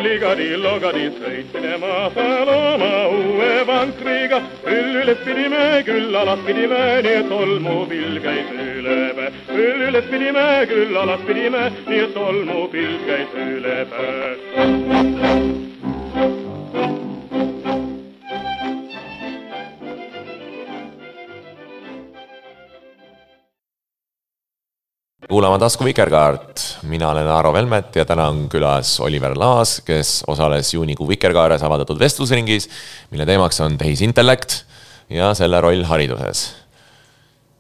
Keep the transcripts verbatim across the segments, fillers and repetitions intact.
Ligadi-logadi sõitsime maasal oma uue vankriga. Küll üles pidime, küll alas pidime, nii et tolmupilv käis ülebe. Küll üles pidime, küll alas pidime, nii et tolmupilv käis ülebe. Kuulama Tasku Vikerkaart. Mina olen Aaro Velmet ja täna on külas Oliver Laas, kes osales juunikuu Vikerkaares avaldatud vestlusringis, mille teemaks on tehisintellekt ja selle roll hariduses.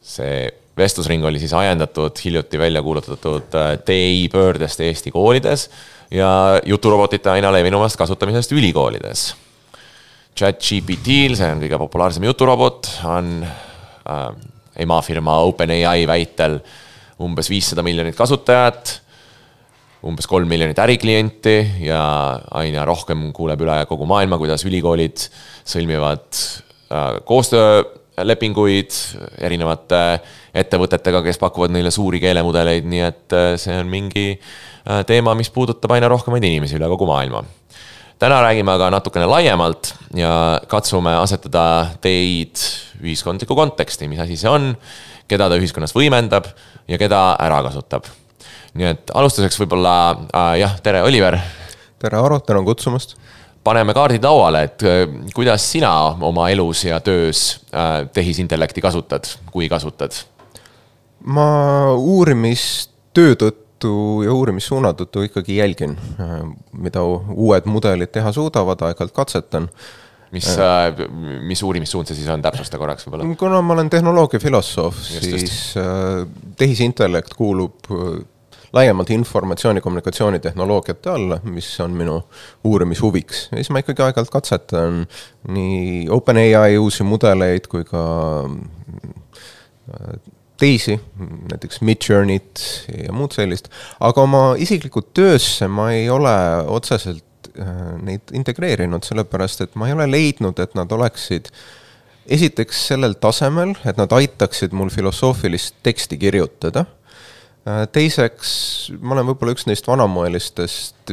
See vestlusring oli siis ajendatud hiljuti välja kuulutatud T I pöördest Eesti koolides ja juturobotite aina levinumast kasutamisest ülikoolides. ChatGPT-l, see on kõige populaarsem juturobot, on äh, emafirma OpenAI väitel umbes viissada miljonit kasutajat, umbes kolm miljonit äriklienti ja aina rohkem kuuleb üle kogu maailma, kuidas ülikoolid sõlmivad koostöölepinguid erinevate ettevõtetega, kes pakuvad neile suuri keelemudeleid, nii et see on mingi teema, mis puudutab aina rohkemaid inimesi üle kogu maailma. Täna räägime aga natukene laiemalt ja katsume asetada teid ühiskondliku konteksti, mis asi see on, keda ta ühiskonnas võimendab ja keda ära kasutab. Nii et alustuseks võib-olla, äh, jah, tere Oliver. Tere Aaro, tänan kutsumast. Paneme kaardid lauale, et kuidas sina oma elus ja töös äh, tehisintellekti kasutad, kui kasutad? Ma uurimistöö tõttu ja uurimissuuna tõttu ikkagi jälgin, mida uued mudelid teha suudavad, aeg-ajalt katsetan. Mis, mis uurimissuund see siis on, täpsusta korraks võib-olla? Kuna ma olen tehnoloogiafilosoof, siis tehisintellekt kuulub laiemalt informatsiooni- kommunikatsiooni tehnoloogiate alla, mis on minu uurimishuviks. Ja siis ma ikkagi aeg-ajalt katsetan nii OpenAI uusi mudeleid kui ka teisi, näiteks Midjourney't ja muud sellist. Aga oma isiklikult töösse ma ei ole otseselt neid integreerinud, sellepärast, et ma ei ole leidnud, et nad oleksid esiteks sellel tasemel, et nad aitaksid mul filosoofilist teksti kirjutada. Teiseks, ma olen võib-olla üks neist vanamoelistest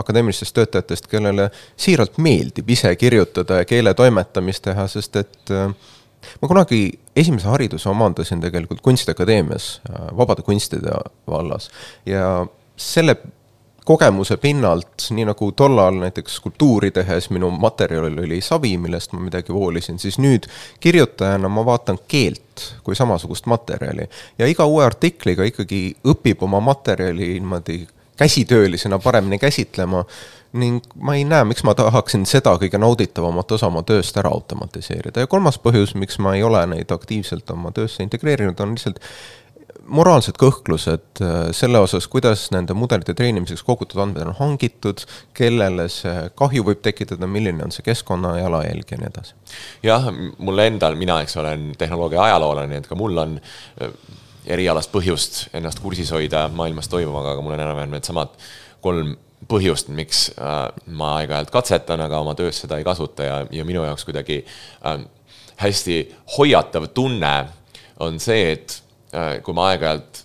akadeemilistest töötajatest, kellele siiralt meeldib ise kirjutada ja keele toimetamist teha, sest et ma kunagi esimese hariduse omandasin tegelikult kunstiakadeemias, vabade kunstide vallas ja selle kogemuse pinnalt, nii nagu tollal näiteks skulptuuri tehes minu materjalil oli savi, millest ma midagi voolisin, siis nüüd kirjutajana ma vaatan keelt kui samasugust materjali. Ja iga uue artikliga ikkagi õpib oma materjali niimoodi käsitöölisena paremini käsitlema ning ma ei näe, miks ma tahaksin seda kõige nauditavamat osa oma tööst ära automatiseerida. Ja kolmas põhjus, miks ma ei ole neid aktiivselt oma töösse integreerinud, on lihtsalt moraalsed kõhklused selle osas, kuidas nende mudelite treenimiseks kogutud andmed on hangitud, kellele see kahju võib tekitada, milline on see keskkonna jalajälg ja nii edasi. Jah, mulle endal, mina eks olen tehnoloogia ajaloolane, et ka mul on erialast põhjust ennast kursis hoida maailmas toimuvaga, aga mul on enam-vähem need samad kolm põhjust, miks ma aeg-ajalt katsetan, aga oma töös seda ei kasuta ja, ja minu jaoks kuidagi hästi hoiatav tunne on see, et kui ma aeg-ajalt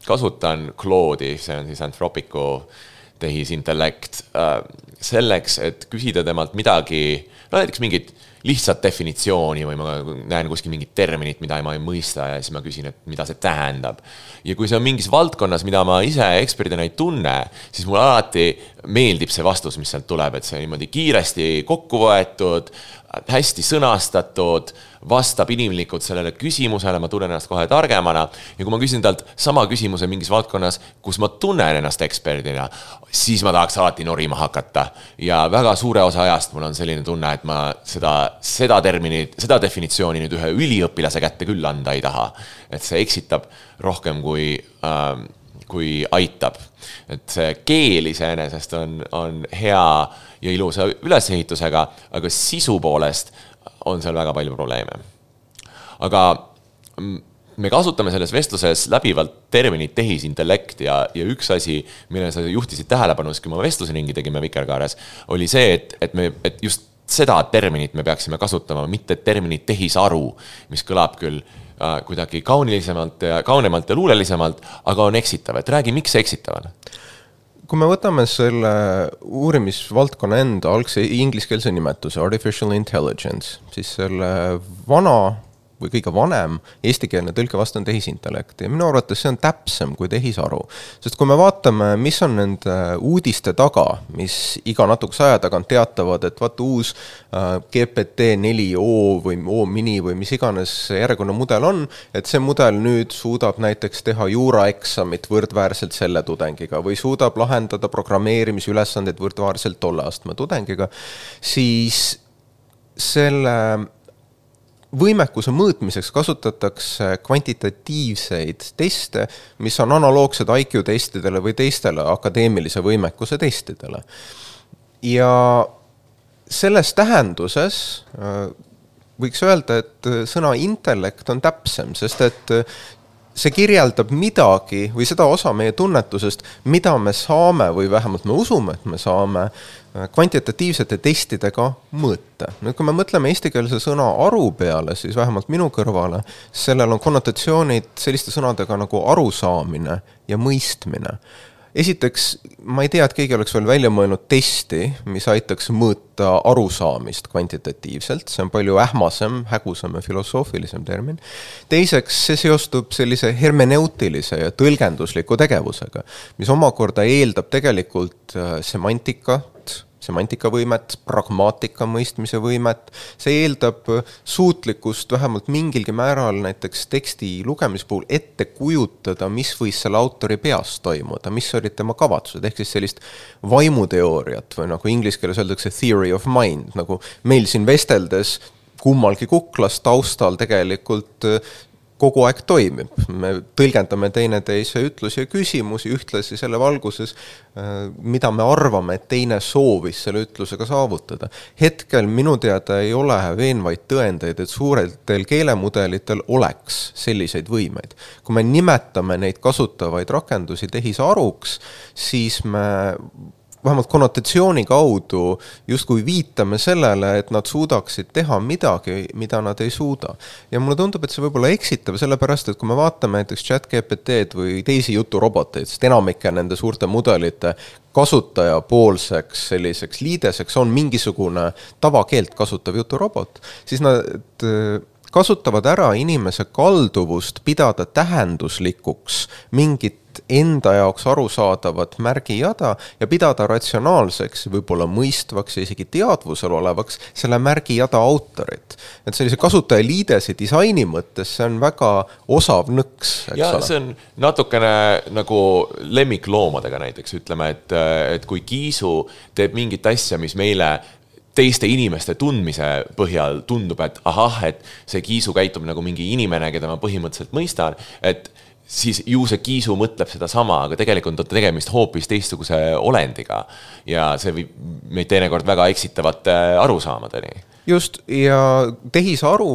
kasutan Claude'i, see on siis Anthropicu tehisintellekt, selleks, et küsida temalt midagi, no näiteks mingit lihtsat definitsiooni või ma näen kuskil mingit terminit, mida ma ei mõista ja siis ma küsin, et mida see tähendab. Ja kui see on mingis valdkonnas, mida ma ise eksperdina ei tunne, siis mul alati meeldib see vastus, mis sealt tuleb, et see niimoodi kiiresti kokku võetud, hästi sõnastatud, vastab inimlikult sellele küsimusele, ma tunnen ennast kohe targemana ja kui ma küsin talt sama küsimuse mingis valdkonnas, kus ma tunnen ennast eksperdina, siis ma tahaks alati norima hakata ja väga suure osa ajast mul on selline tunne, et ma seda, seda terminit, seda definitsiooni nüüd ühe üliõpilase kätte küll anda ei taha, et see eksitab rohkem kui, ähm, kui aitab. Et see keel iseenesest on, on hea ja ilusa ülesehitusega, aga sisu poolest on seal väga palju probleeme. aga me kasutame selles vestluses läbivalt terminit tehisintellekt ja, ja üks asi, mille sa juhtisid tähelepanu, kui me vestlusringi tegime Vikerkaares, oli see, et, et, me, et just seda terminit me peaksime kasutama, mitte terminit tehisaru, mis kõlab küll äh, kuidagi kaunilisemalt ja kaunemalt ja luulelisemalt, aga on eksitav. Et räägi, miks see eksitav on? Kui me võtame selle uurimisvaldkonna enda algse ingliskeelse nimetuse Artificial Intelligence, siis selle vana või kõige vanem eestikeelne tõlke vastu on tehisintellekt ja minu arvates see on täpsem kui tehisaru. Sest kui me vaatame, mis on nende uudiste taga, mis iga natukese aja tagant teatavad, et vaata uus G P T neli O või O mini või mis iganes järjekordne mudel on, et see mudel nüüd suudab näiteks teha juuraeksamit võrdväärselt selle tudengiga või suudab lahendada programmeerimisülesandeid võrdväärselt tolle astme tudengiga, siis selle võimekuse mõõtmiseks kasutatakse kvantitatiivseid teste, mis on analoogsed I Q testidele või teistele akadeemilise võimekuse testidele. Ja selles tähenduses võiks öelda, et sõna intellekt on täpsem, sest et see kirjeldab midagi või seda osa meie tunnetusest, mida me saame või vähemalt me usume, et me saame kvantitatiivsete testidega mõõta. Nüüd, kui me mõtleme eestikeelse sõna aru peale, siis vähemalt minu kõrvale, sellel on konnotatsioonid selliste sõnadega nagu arusaamine ja mõistmine. Esiteks, ma ei tea, et keegi oleks veel välja mõelnud testi, mis aitaks mõõta arusaamist kvantitatiivselt. See on palju ähmasem, hägusam ja filosoofilisem termin. Teiseks, see seostub sellise hermeneutilise ja tõlgendusliku tegevusega, mis omakorda eeldab tegelikult semantikat, semantikavõimet, pragmaatika mõistmise võimet. See eeldab suutlikkust vähemalt mingilgi määral näiteks teksti lugemise puhul ette kujutada, mis võis selle autori peas toimuda, mis olid tema kavatsused, ehk siis sellist vaimuteooriat või nagu inglise keeles öeldakse theory of mind, nagu meil siin vesteldes kummalgi kuklas taustal tegelikult kogu aeg toimib. Me tõlgendame teineteise ütlusi ja küsimusi ühtlasi selle valguses, mida me arvame, et teine soovis selle ütlusega saavutada. Hetkel minu teada ei ole veenvaid tõendeid, et suuretel keelemudelitel oleks selliseid võimeid. Kui me nimetame neid kasutavaid rakendusi tehisaruks, siis me vähemalt konnotatsiooni kaudu justkui viitame sellele, et nad suudaksid teha midagi, mida nad ei suuda. Ja mulle tundub, et see võib olla eksitav, sellepärast, et kui me vaatame näiteks ChatGPT-d või teisi juturoboteid, sest enamike nende suurte mudelite kasutajapoolseks selliseks liideseks on mingisugune tavakeelt kasutav juturobot, siis nad kasutavad ära inimese kalduvust pidada tähenduslikuks mingit enda jaoks arusaadavat märgijada ja pidada ratsionaalseks, võib-olla mõistvaks ja isegi teadvusel olevaks selle märgijada autorit. Et sellise kasutaja liidesi disaini mõttes see on väga osav nõks. Ja see on natukene nagu lemmikloomadega näiteks, ütleme, et, et kui kiisu teeb mingit asja, mis meile teiste inimeste tundmise põhjal tundub, et ahah, et see kiisu käitub nagu mingi inimene, keda ma põhimõtteliselt mõistan, et siis ju see kiisu mõtleb seda sama, aga tegelikult on tegemist hoopis teistsuguse olendiga ja see võib meid teinekord väga eksitavate arusaamadeni. Just, ja tehisaru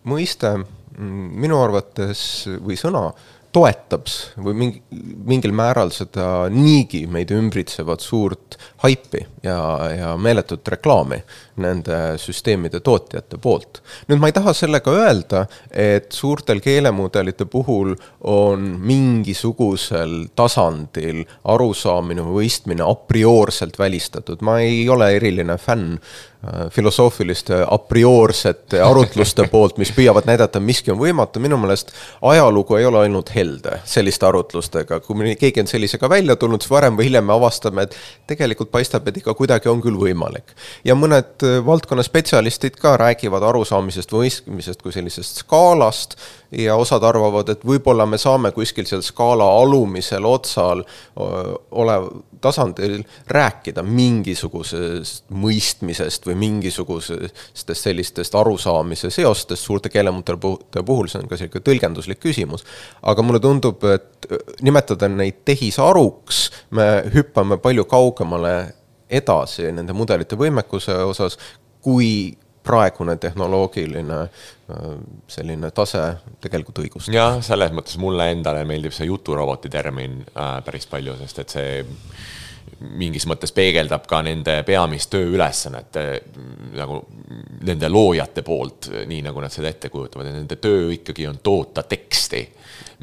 mõiste minu arvates või sõna toetab või mingi, mingil määral seda niigi meid ümbritsevat suurt haipi ja, ja meeletut reklaami nende süsteemide tootjate poolt. Nüüd ma ei taha sellega öelda, et suurtel keelemudelite puhul on mingisugusel tasandil arusaamine või mõistmine a priorselt välistatud. Ma ei ole eriline fänn filosoofiliste a priorsete arutluste poolt, mis püüavad näidata, miski on võimatu. Minu meelest ajalugu ei ole ainult helde selliste arutlustega. Kui keegi on sellisega välja tulnud, siis varem või hiljem me avastame, et tegelikult paistab, et ikka kuidagi on küll võimalik. Ja mõned valdkonna spetsialistid ka räägivad arusaamisest või mõistmisest kui sellisest skaalast ja osad arvavad, et võib-olla me saame kuskil seal skaala alumisel otsal olev tasandil rääkida mingisugusest mõistmisest või mingisugusest sellistest arusaamise seostest suurte keelemudelite puhul, see on ka selline tõlgenduslik küsimus. Aga mulle tundub, et nimetada neid tehisaruks, me hüppame palju kaugemale edasi nende mudelite võimekuse osas, kui praegune tehnoloogiline selline tase tegelikult õigust. Jah, selles mõttes mulle endale meeldib see juturoboti termin äh, päris palju, sest et see mingis mõttes peegeldab ka nende peamist tööülesannet nagu nende loojate poolt, nii nagu nad seda ette kujutavad. Nende töö ikkagi on toota teksti,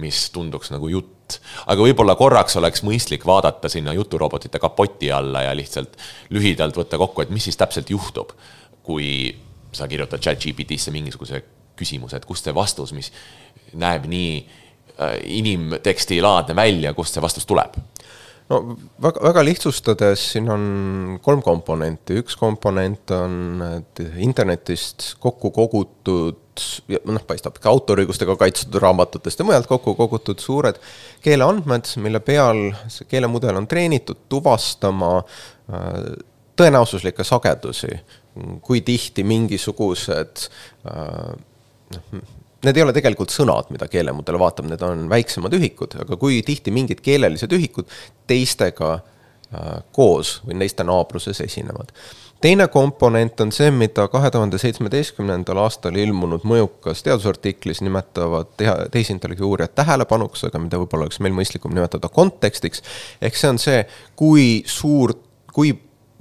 mis tunduks nagu jutt. Aga võib-olla korraks oleks mõistlik vaadata sinna juturobotite kapoti alla ja lihtsalt lühidalt võtta kokku, et mis siis täpselt juhtub, kui sa kirjutad ChatGPTisse mingisuguse küsimuse, et kust see vastus, mis näeb nii inimteksti laadne välja, kust see vastus tuleb? No väga, väga lihtsustades siin on kolm komponenti. Üks komponent on internetist kokku kogutud, noh, paistab ka autoriõigustega kaitstud raamatutest ja mujalt kokku kogutud suured keeleandmed, mille peal see keelemudel on treenitud tuvastama tõenäosuslikke sagedusi, kui tihti mingisugused noh, need ei ole tegelikult sõnad, mida keelemudel vaatab, need on väiksemad ühikud, aga kui tihti mingid keelelised ühikud teistega äh, koos või neiste naabruses esinevad. Teine komponent on see, mida kahe tuhande seitsmeteistkümnendal aastal ilmunud mõjukas teadusartiklis nimetavad tehisintellekti uurijad tähelepanuks, aga mida võib-olla oleks meil mõistlikum nimetada kontekstiks. Ehk see on see, kui suur, kui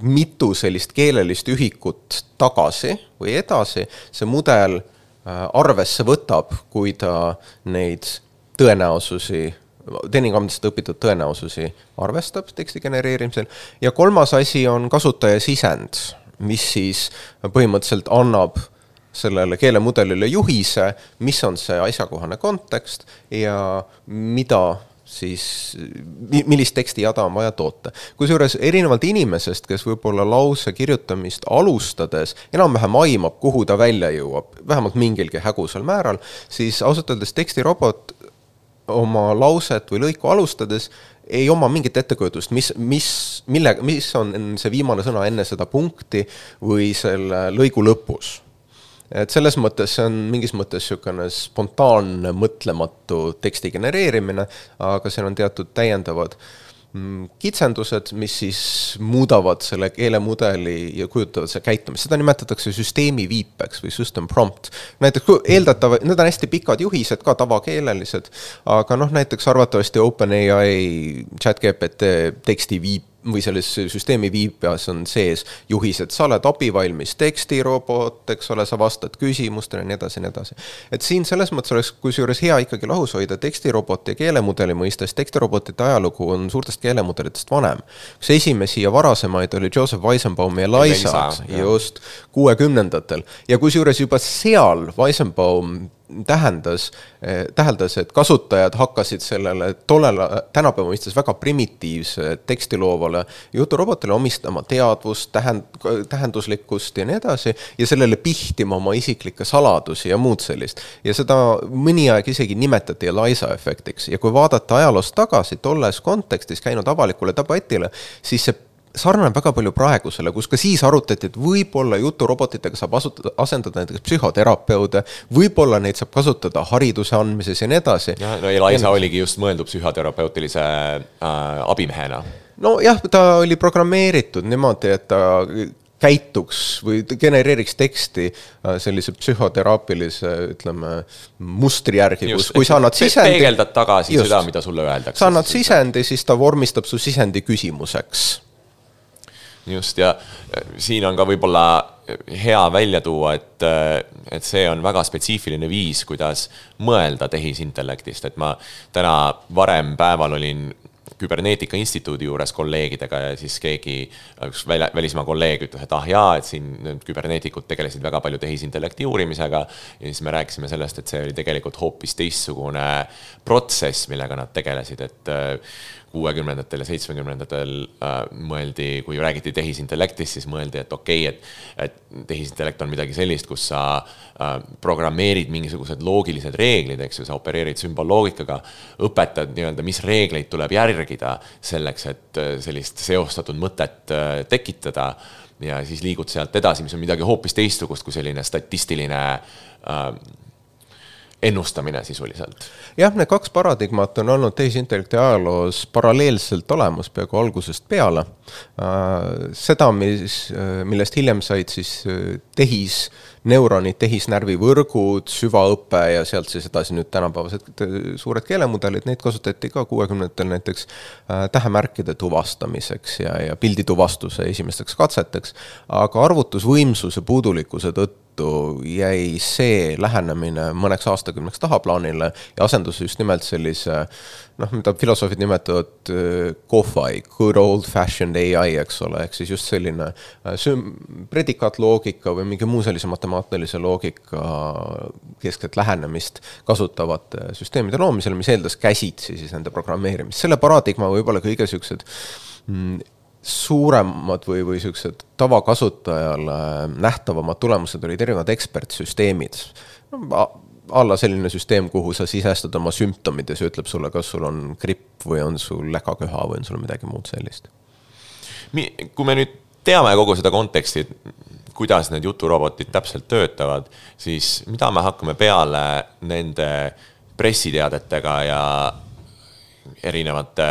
mitu sellist keelelist ühikut tagasi või edasi see mudel arvesse võtab, kui ta neid tõenäosusi, teeningamdest õpitud tõenäosusi arvestab teksti genereerimisel. Ja kolmas asi on kasutaja sisend, mis siis põhimõtteliselt annab sellele keelemudelile juhise, mis on see asjakohane kontekst ja mida siis millist teksti jada on vaja toota. Kusjuures erinevalt inimesest, kes võib-olla lause kirjutamist alustades enam-vähem aimab, kuhu ta välja jõuab, vähemalt mingilgi hägusal määral, siis ausalt öeldes tekstirobot oma lauset või lõiku alustades ei oma mingit ettekujutust, mis, mis, mille, mis on see viimane sõna enne seda punkti või selle lõigu lõpus. Et selles mõttes see on mingis mõttes sükane spontaanne, mõtlematu teksti genereerimine, aga seal on teatud täiendavad kitsendused, mis siis muudavad selle keelemudeli ja kujutavad see käitumist. Seda nimetatakse süsteemi viipeks või system prompt. Näiteks eeldatav, need on hästi pikad juhised, ka tavakeelelised, aga noh, näiteks arvatavasti OpenAI ChatGPT teksti viip või selles süsteemi viipas on sees juhised, sa oled abivalmis tekstirobot, eks ole, sa vastad küsimustele ja nii edasi, nii edasi. Et siin selles mõttes oleks kusjuures hea ikkagi lahus hoida tekstiroboti ja keelemudeli mõistes. Tekstirobotite ajalugu on suurtest keelemudelitest vanem. Üks esimesi ja varasemaid oli Joseph Weizenbaum ja Eliza just kuuekümnendatel. Ja kusjuures juba seal Weizenbaum tähendas, täheldas, et kasutajad hakkasid sellele tollel tänapäeva mõistes väga primitiivse tekstiloovale juturobotile omistama teadvust, tähend, tähenduslikkust ja nii edasi ja sellele pihtima oma isiklikke saladusi ja muud sellist. Ja seda mõni aeg isegi nimetati Eliza efektiks ja kui vaadata ajaloost tagasi tolles kontekstis käinud avalikule debatile, siis see sarnane väga palju praegusele, kus ka siis arutati, et võib-olla juturobotitega saab asutada, asendada näiteks psühhoterapeude, võib-olla neid saab kasutada hariduse andmises ja nii edasi. Ja, no Eliza oligi just mõeldud psühhoterapeutilise äh, abimehena. No jah, ta oli programmeeritud niimoodi, et ta käituks või genereeriks teksti sellise psühhoteraapilise, ütleme, mustri järgi, kus kui sa annad sisendi... Peegeldad tagasi just, seda, mida sulle öeldakse. Sa annad sisendi, siis ta vormistab su sisendi küsimuseks. Just, ja siin on ka võib-olla hea välja tuua, et, et see on väga spetsiifiline viis, kuidas mõelda tehisintellektist. Et ma täna varem päeval olin Küberneetika instituudi juures kolleegidega ja siis keegi, üks välismaa kolleeg ütles, et ah jaa, et siin küberneetikud tegelesid väga palju tehisintellekti uurimisega ja siis me rääkisime sellest, et see oli tegelikult hoopis teistsugune protsess, millega nad tegelesid, et kuuekümnendatel ja seitsmekümnendatel äh, mõeldi, kui räägiti tehisintellektist, siis mõeldi, et okei, okay, et, et tehisintellekt on midagi sellist, kus sa äh, programmeerid mingisugused loogilised reeglid, eks ju, sa opereerid sümbolloogikaga, õpetad nii-öelda, mis reegleid tuleb järgida selleks, et sellist seostatud mõtet äh, tekitada ja siis liigud sealt edasi, mis on midagi hoopis teistsugust kui selline statistiline äh, ennustamine sisuliselt. Jah, need kaks paradigmat on olnud tehisintellekti ajaloos paralleelselt olemas peaaegu algusest peale. Seda, mis, millest hiljem said siis tehis neuronid, tehisnärvivõrgud, süvaõpe ja sealt siis edasi nüüd tänapäevased suured keelemudelid, neid kasutati ka kuuekümnendatel näiteks tähemärkide tuvastamiseks ja, ja pildituvastuse esimesteks katseteks, aga arvutusvõimsuse puudulikkuse tõttu jäi see lähenemine mõneks aastakümneks tahaplaanile ja asendus just nimelt sellise, noh, mida filosoofid nimetavad C O F I, good old fashioned A I, eks ole, ehk siis just selline predikaatloogika või mingi muu sellise matemaatilise loogika keskset lähenemist kasutavate süsteemide loomisele, mis eeldas käsitsi siis nende programmeerimist. Selle paradigma võib-olla kõige siuksed mm, suuremad või, või siuksed tavakasutajale nähtavamad tulemused olid erinevad ekspertsüsteemid. No, alla selline süsteem, kuhu sa sisestad oma sümptomid ja see ütleb sulle, kas sul on gripp või on sul läkaköha või on sul midagi muud sellist. Kui me nüüd teame kogu seda konteksti, kuidas need juturobotid täpselt töötavad, siis mida me hakkame peale nende pressiteadetega ja erinevate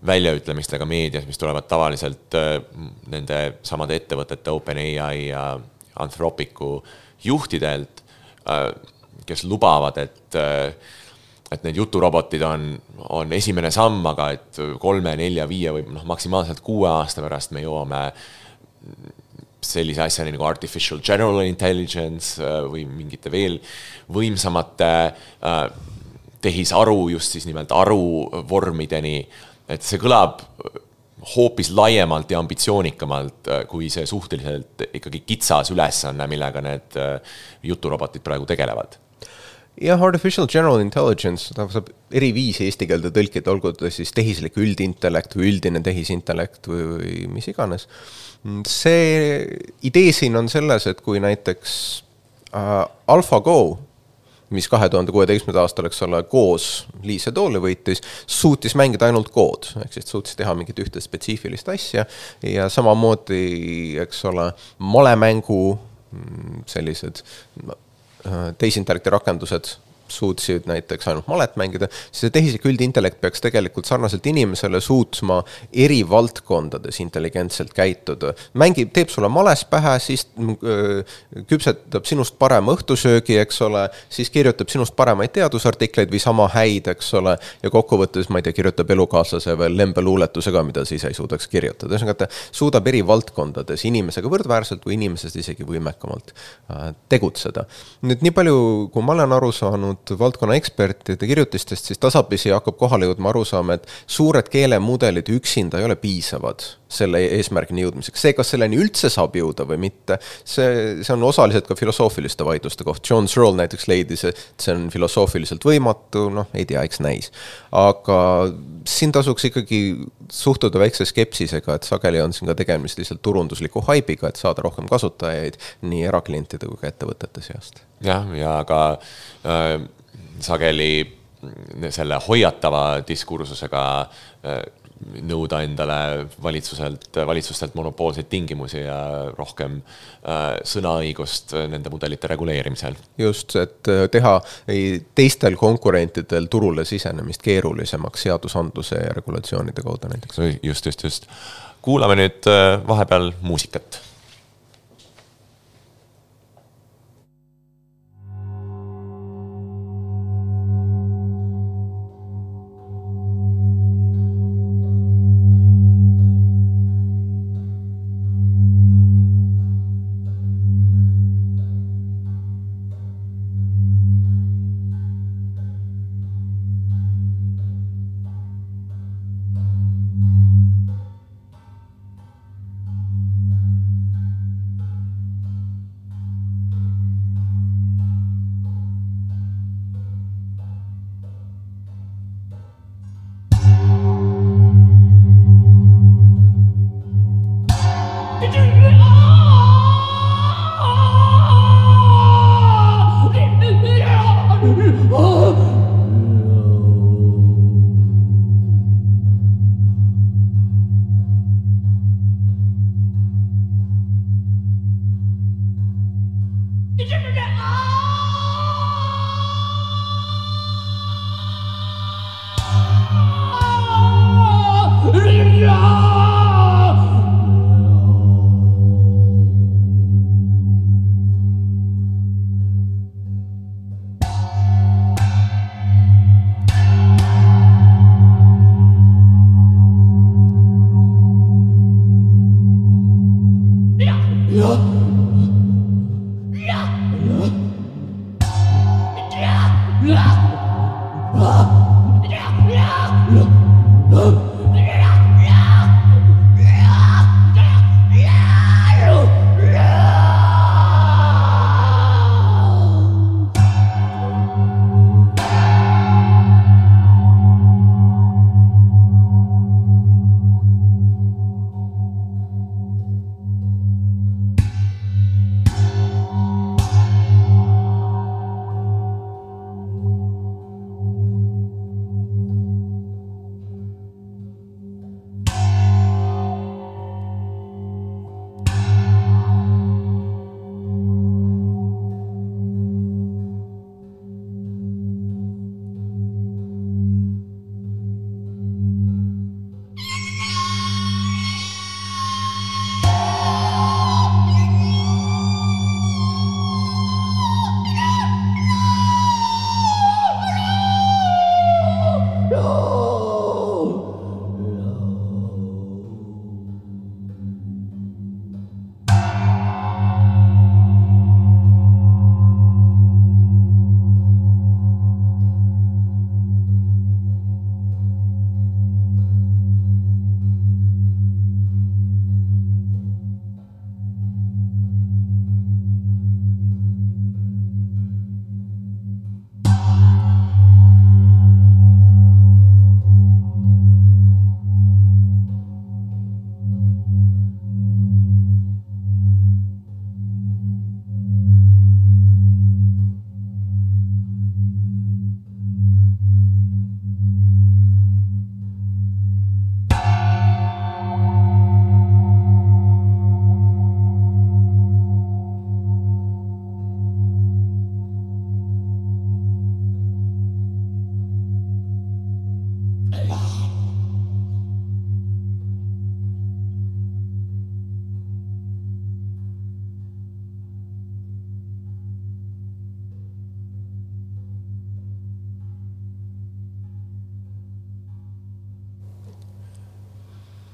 väljaütlemistega meedias, mis tulevad tavaliselt nende samade ettevõtete OpenAI ja Anthropicu juhtidelt, kes lubavad, et, et need juturobotid on, on esimene samm, aga et kolme, nelja, viie või noh, maksimaalselt kuue aasta pärast me jõuame sellise asjani nagu artificial general intelligence või mingite veel võimsamate tehisaru, just siis nimelt aruvormideni. Et see kõlab hoopis laiemalt ja ambitsioonikamalt kui see suhteliselt ikkagi kitsas ülesanne, millega need juturobotid praegu tegelevad. Jah, artificial general intelligence saab eri viisi eesti keelde tõlkida, olgu siis tehislik üldintellekt või üldine tehisintellekt või, või mis iganes. See idee siin on selles, et kui näiteks äh, AlphaGo, mis kahe tuhande kuueteistkümnendal aastal, eks ole, koos Lee Sedoli võitis, suutis mängida ainult kood, ehk siis suutis teha mingit ühte spetsiifilist asja ja samamoodi, eks ole, malemängu sellised tehisintellekti rakendused suutsid näiteks ainult malet mängida, siis see tehislik üldintellekt peaks tegelikult sarnaselt inimesele suutma eri valdkondades intelligentselt käituda. Mängib, teeb sulle males pähe, siis öö, küpsetab sinust parema õhtusöögi, eks ole, siis kirjutab sinust paremaid teadusartikleid või sama häid, eks ole, ja kokkuvõttes, ma ei tea, kirjutab elukaaslase veel lembeluuletusega, mida siis ei suudaks kirjutada. Ta suudab eri valdkondades inimesega võrdväärselt või inimesest isegi võimekamalt äh, tegutseda. Nüüd nii palju, kui ma olen aru saanud valdkonna ekspertide kirjutistest, siis tasapisi hakkab kohale jõudma aru saama, et suured keelemudelid üksinda ei ole piisavad selle eesmärgini jõudmiseks. See, kas selleni üldse saab jõuda või mitte, see, see on osaliselt ka filosoofiliste vaidluste koht. John Searle näiteks leidis, et see on filosoofiliselt võimatu, noh, ei tea, eks näis. Aga siin tasuks ikkagi suhtuda väikse skepsisega, et sageli on siin ka tegemist lihtsalt turundusliku haibiga, et saada rohkem kasutajaid nii eraklientide kui ka ettevõtete seast. Jah, ja ka äh, sageli selle hoiatava diskursusega äh, nõuda endale valitsuselt, valitsustelt monopoolseid tingimusi ja rohkem äh, sõnaõigust nende mudelite reguleerimisel. Just, et teha teistel konkurentidel turule sisenemist keerulisemaks seadusandluse ja regulatsioonide kaudu näiteks. Just, just, just. Kuulame nüüd vahepeal muusikat.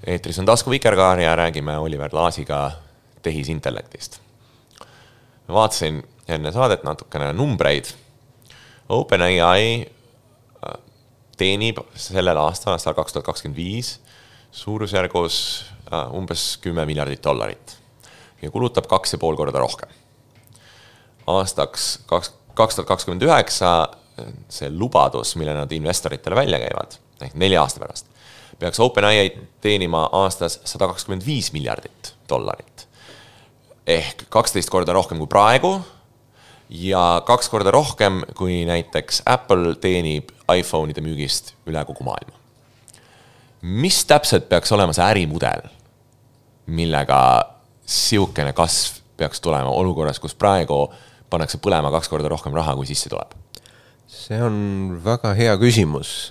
Eetris on Tasku Vikerkaar ja räägime Oliver Laasiga tehisintellektist. Ma vaatasin enne saadet natukene numbreid. OpenAI teenib sellel aastal, aastal kaks tuhat kakskümmend viis, suurusjärgus umbes kümme miljardit dollarit ja kulutab kaks ja pool korda rohkem. Aastaks kaks tuhat kakskümmend üheksa see lubadus, mille nad investoritele välja käivad, ehk nelja aasta pärast, peaks OpenAI teenima aastas sada kakskümmend viis miljardit dollarit. Ehk kaksteist korda rohkem kui praegu ja kaks korda rohkem kui näiteks Apple teenib iPhone'ide müügist üle kogu maailma. Mis täpselt peaks olema see ärimudel, millega siukene kasv peaks tulema olukorras, kus praegu pannakse põlema kaks korda rohkem raha, kui sisse tuleb? See on väga hea küsimus.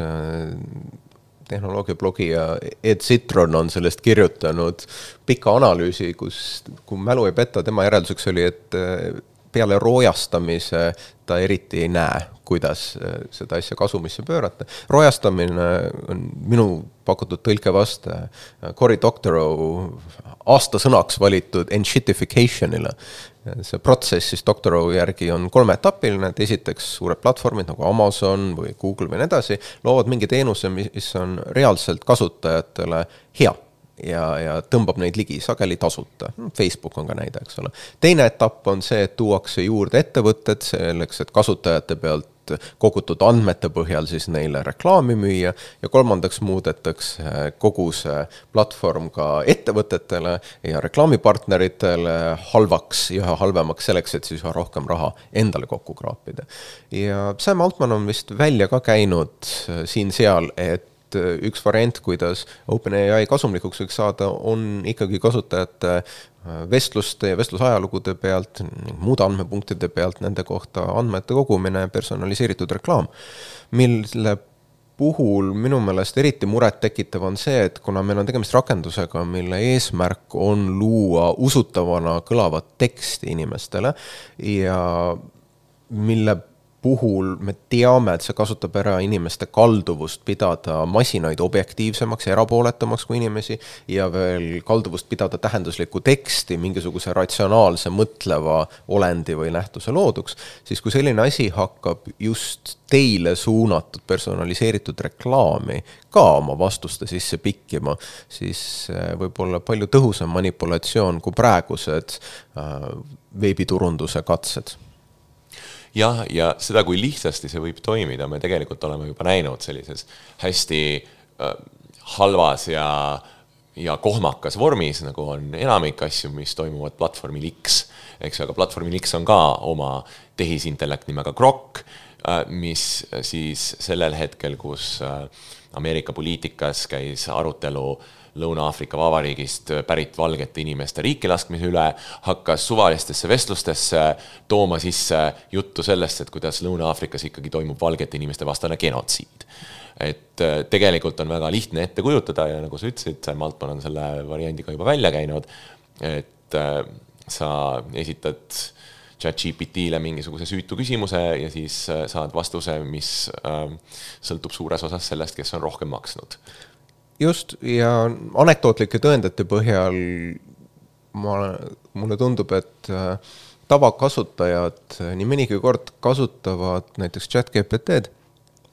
Tehnoloogiablogija Ed Citron on sellest kirjutanud pika analüüsi, kus, kui mälu ei petta, tema järelduseks oli, et peale roojastamise ta eriti ei näe, kuidas seda asja kasumisse pöörata. Roojastamine on minu pakutud tõlke vaste Cory Doctorow aastasõnaks valitud enshittificationile. See protsess siis Doctorow järgi on kolmeetapiline, et esiteks suured platvormid nagu Amazon või Google või nii edasi loovad mingi teenuse, mis on reaalselt kasutajatele hea ja, ja tõmbab neid ligi sageli tasuta. Facebook on ka näide, eks ole. Teine etapp on see, et tuuakse juurde ettevõtted selleks, et kasutajate pealt kogutud andmete põhjal siis neile reklaami müüa ja kolmandaks muudetakse kogu see platvorm ka ettevõtetele ja reklaamipartneritele halvaks ja üha halvemaks selleks, et siis üha rohkem raha endale kokku kraapida. Ja Sam Altman on vist välja ka käinud siin-seal, et üks variant, kuidas OpenAI kasumlikuks võiks saada, on ikkagi kasutajate vestluste ja vestlusajalugude pealt, muude andmepunktide pealt, nende kohta andmete kogumine, personaliseeritud reklaam, mille puhul minu meelest eriti muret tekitav on see, et kuna meil on tegemist rakendusega, mille eesmärk on luua usutavana kõlavat teksti inimestele ja mille puhul me teame, et see kasutab ära inimeste kalduvust pidada masinaid objektiivsemaks ja erapooletumaks kui inimesi ja veel kalduvust pidada tähenduslikku teksti mingisuguse ratsionaalse mõtleva olendi või nähtuse looduks, siis kui selline asi hakkab just teile suunatud personaliseeritud reklaami ka oma vastuste sisse pikkima, siis võib olla palju tõhusam manipulatsioon kui praegused veebiturunduse katsed. Jah, ja seda, kui lihtsasti see võib toimida, me tegelikult oleme juba näinud sellises hästi äh, halvas ja, ja kohmakas vormis, nagu on enamik asju, mis toimuvad platvormil X. Eks, aga platvormil X on ka oma tehisintellekt nimega Grok, äh, mis siis sellel hetkel, kus äh, Ameerika poliitikas käis arutelu Lõuna-Aafrika Vabariigist pärit valgete inimeste riiki laskmise üle, hakkas suvalistesse vestlustesse tooma sisse juttu sellest, et kuidas Lõuna-Aafrikas ikkagi toimub valgete inimeste vastane genotsiid. Et tegelikult on väga lihtne ette kujutada ja nagu sa ütlesid, Sam Altman on selle variandiga juba välja käinud, et sa esitad ChatGPT-le mingisuguse süütu küsimuse ja siis saad vastuse, mis sõltub suures osas sellest, kes on rohkem maksnud. Just, ja anekdootlike tõendite põhjal ma, mulle tundub, et tavakasutajad nii mõnigi kord kasutavad näiteks ChatGPT-d